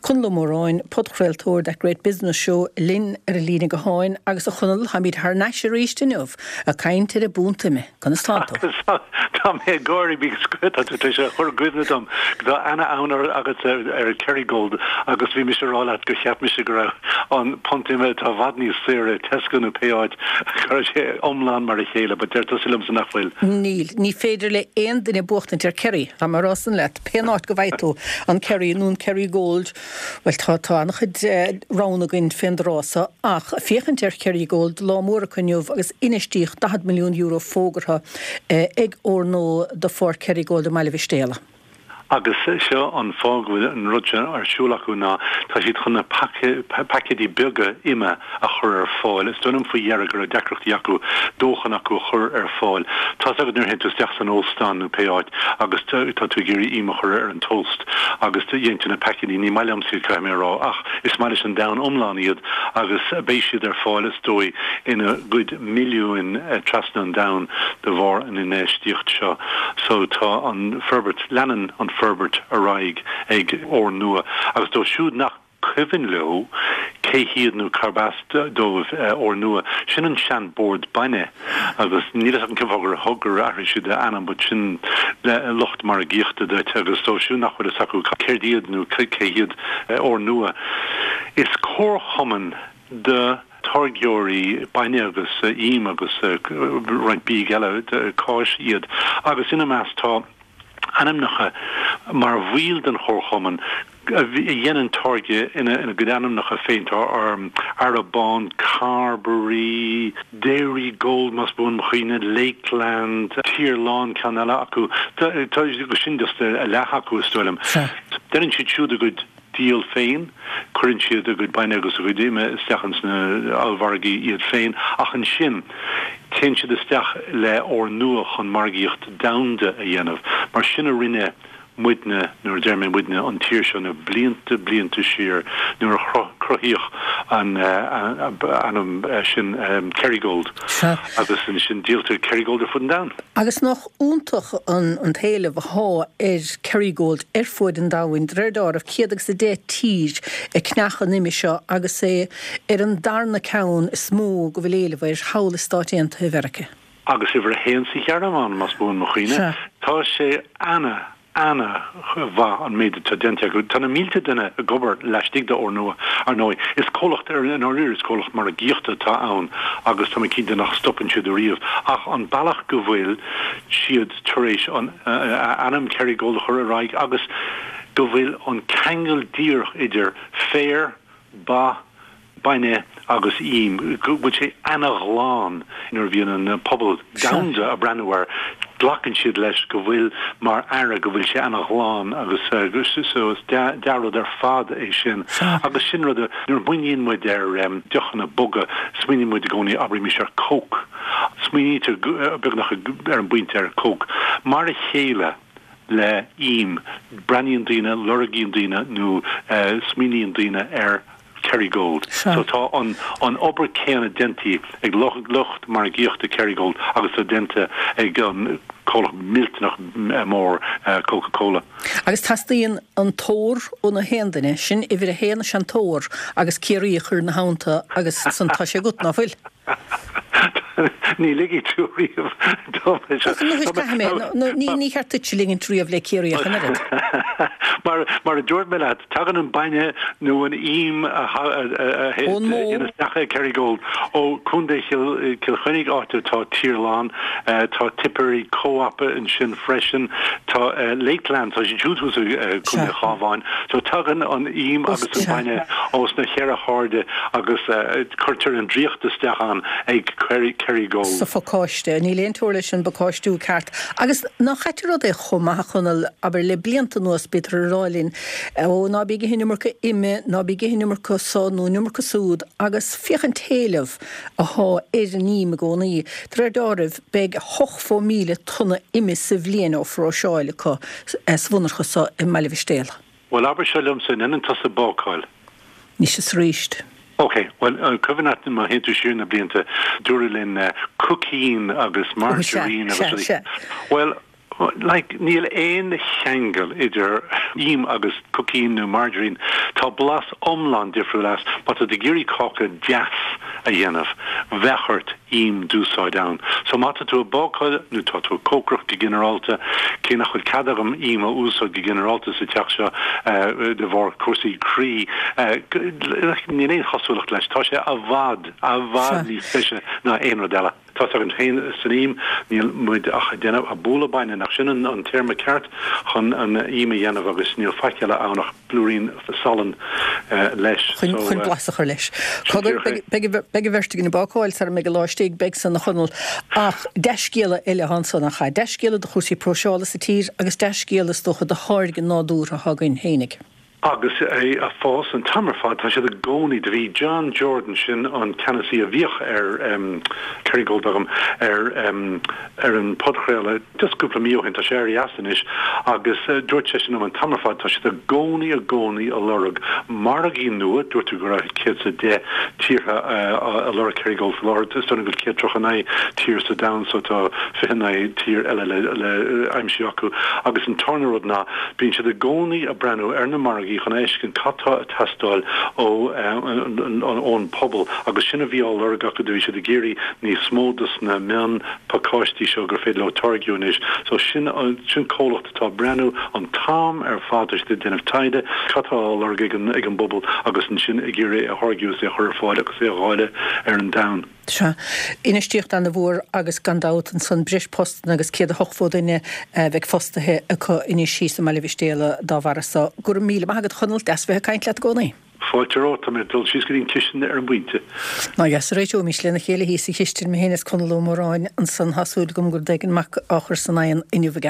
Conall Ó Móráin, podchraoltóir That Great Business Show linn ar an líne gutháin agus a Chonaill, táimid thar n-ais arís inniu ag caint ar an bpunt ime. Conas tánn tú? Tá mé ag gáirí because tá tú tar éis a chur i gcuimhne dom go tá ana-fhonn agatsa ar Kerrygold agus bhí mise ag rá leat gur cheap mise go raibh an punt ime atá i bhfad níos saoire i Tesco nó pé áit go raibh sé iomlán mar a chéile but deir tusa liomsa nach bhfuil. Níl. Ní féidir le aon duine buachtaint ar Kerry, tá mé ag rá san leat. Pén áit go bhfaighidh tú an Kerry nó an Kerrygold, bhuel tá, tá an-chuid roghanna againn fén dtráth so, ach féachaint ar Kerrygold, lá mór acu inniu agus infheistíocht €40 milliún fógartha ag Ornua do pháirc Kerrygold i mBaile Mhistéala. Agus seo an fáth go bhfuil an rud seo ar siúl acu ná tá siad chun na paicéidí beaga ime a chur ar fáil. Is dóigh liom faoi dheireadh go raibh deacrachtaí acu dóthain acu a chur ar fáil. Tá's agat nuair a théann tú isteach san óstán nó pé áit agus tá tú ag iarraidh im a chur ar an toast agus gheibheann tú na paicéidí, ní maith liomsa iad caithfidh mé a rá ach is maith leis an domhan iomlán iad agus beidh siad ar fáil is dóigh ina gcuid milliúin trasna an domhain de bharr an infheistíocht seo. So tá an forbairt, leanann an forbairt ar aghaidh ag Ornua agus dóibh siúd nach cuimhin leo cé hiad nó cárb as dóibh Ornua, sin an sean bord bainne agus níl fhios agam cén fáth gur thug gur athraigh siad a ainm but sin lucht margaíochta duit agus dóibh siúd nach bhfuil fhios acu céard iad nó cé hiad Ornua. Is comharchumann de táirgeoirí bainne agus ím agus roinnt bídh eile, cáis, iad agus ina measc tá ainmneacha mar bhaill den chomharchumann a dhéanann táirge ina gcuid ainmneacha féin, tá Arrabawn, Carbery, Dairygold más buan mo chuimhne, Lakeland, Tirlán ceann eile acu, tá sin just a leath acu is dóigh liom. Déanann siad siúd a gcuid. díol féin, cuireann siad a gcuid bainne agus a gcuid ime isteach ins na ollmhargaí iad féin, ach ansin téann siad isteach le Ornua chun margaíocht domhanda a dhéanamh, mar sin a rinne muidne, nuair a deir mé muidne, an tír seo na blianta, blianta siar nuair a cruthaíodh an ainm sin Kerrygold agus ansin díoltar Kerrygold ar fud an domhain. Agus nach iontach an t-éileamh athá ar Kerrygold ar fuaid an domhain, de réir deáraimh, 110 tír ag ceannach an ime seo agus é ar an darna ceann is mó go bhfuil éileamh air thall i Stáit Aontaithe Mheirice. Agus uimhir a haon sa Ghearmáin, más buan mo chuimhne. Tá sé ana ana-mhaith an méid atá déanta acu. Tá na mílte duine ag obair laistigh de Ornua, ar ndóigh. Is comhlacht, i ndáiríre, is comhlacht margaíochta atá ann agus tá mé cinnte nach stopann siad ariamh. Ach an bealach go bhfuil siad tar éis an ainm Kerrygold a chur ar aghaidh agus go bhfuil an ceangal díreach idir féar, ba, bainne agus ím, go bhfuil sé ana-ghlan nuair a bhíonn an pobal domhanda ag breathnú air, glacann siad leis go bhfuil mar earra go bhfuil sé ana-ghlan agus so is dea-rud ar fad é sin. Agus sin rud a, nuair a smaoiníonn muid ar deochanna boga, smaoiníonn muid i gcónaí, abraimis ar Coke, smaoinítear beagnach ar an bpointe ar Coke. Mar a chéile. le ím. Breathnaíonn daoine, lorgaíonn daoine nó smaoiníonn daoine ar Kerrygold. So tá an an obair céanna déanta ag lucht margaíochta Kerrygold agus atá déanta ag an comhlacht millteanach mór Coca Cola. Agus teastaíonn an t-ór ó na haon duine, sin uimhir a haon is ea an t-ór agus Ciarraí a chur ina theannta agus san tá sé agat, ná fuil? Ní ligfidh tú riamh dom é seo. Caithfidh mé. Ní cheart duitse ligint riamh le Ciarraí ach an oiread. Mar a dúirt mé leat, tagann an bainne nó an ím a théann isteach ag Kerrygold ó Chontae Chill Chainnigh, áit atá Tirlán, tá Tipperary Co-op ansin freisin, tá Lakeland, tá siad siúd thuas i gContae an Chabháin. So tagann an ím agus an bainne ós na cheithre hairde agus cuirtear an draíocht isteach ann ag Kerrygold. sa phacáiste. Níl aon teora leis an bpacáistiú ceart. Agus nach ait an rud é chomh maith, a Chonaill, abair, le blianta anuas bítear ag rá linn, ó, ná bí ag ithe an iomarca ime, ná bí ag ithe an iomarca so nó an iomarca súd, agus féach an t-éileamh athá ar an ím i gcónaí. De réir deáraimh, beidh 80,000 tonna ime sa bhliain á phróiseáil acu sa mhonarcha so i mBaile Mhistéala. Bhuel, abair seo liomsa, an ndéanann tusa bácáil? Anois is aríst. Ok, bhuel, an cuimhin leat má théann tú siar na blianta, dúradh linn cooking agus margarine agus rudaí. Bhuel. Like, níl aon cheangal idir im agus cooking nó margarine. Tá blas iomlán difriúil as. Má tá tú ag iarraidh cáca deas a dhéanamh, bheadh ort im d'úsáid ann. So má tá tú ag bácáil nó tá tú ag cócaireacht go ginearálta, cé nach bhfuil cead agam im a úsáid go ginearálta sa teach seo de bharr cúrsaí croí, like, níl aon chosúlacht leis. Tá sé i bhfad, i bhfad níos deise ná aon rud eile. Tá's againn féin san im, níl muid ach ag déanamh, ag bualadh bainne, nach sin an téarma ceart chun an im a dhéanamh agus níl faic eile ann ach blúirín salainn leis. Chun so, blas a chur leis. Cogar, beidh an bheirt againn ag bácáil sara mbeidh an lá istigh, beidh san a Chonaill. Ach dea-scéala eile atá ansan, nach ea? Dea-scéala do chúrsaí próiseála sa tír agus dea-scéala is dócha do tháirge nádúrtha atá againn fhéinig. Agus é ag fás an t-am ar fad, tá siad i gcónaí, do bhí John Jordan, sin an ceannasaí a bhíodh ar Kerrygold agam, ar ar an podchraoladh just cúpla mí ó shin, tá sé éirithe as anois, agus dúirt seisean liom an t-am ar fad, tá siad i gcónaí i gcónaí a lorg margaí nua, dúirt tú go raibh 110 tíortha a lorg Kerrygold faoi láthair, is dóigh liom go bhfuil 139 tír sa domhan so tá 29 tír eile le le aimsiú acu agus an tarna rud ná Bíonn siad i gcónaí ag breathnú ar na margaí chun a fheiscint cad tá ag teastáil ón pobal agus sin a bhí á lorg acu, do bhí siad ag iarraidh níos mó dos na mion pacáistí seo gur féidir leo táirgiú anois. So sin sin comhlacht atá ag breathnú an t-am ar fad, tá siad ag déanamh taighde cad tá á lorg ag an ag an bpobal agus ansin ag iarraidh é a tháirgiú is é a chur ar fáil agus é a dháileadh ar an domhan. Sea. Infheistíocht ana-mhór agus gan dabht ansan breis postanna agus 180 duine a bheidh fostaithe acu anois thíos i mBaile Mhistéala dá bharra so. Go raibh míle maith agat a Chonaill, deas bheith ag caint leat i gcónaí. Fáilte romhat, tá mé ag dul síos go dtí an chistin ar an bpointe. Ná deas a réiteoimis lena chéile thíos sa chistin, mé féin is Conall Ó Móráin ansan, tá súil agam go raibh rud éigin maith á chur san oigheann inniu aige.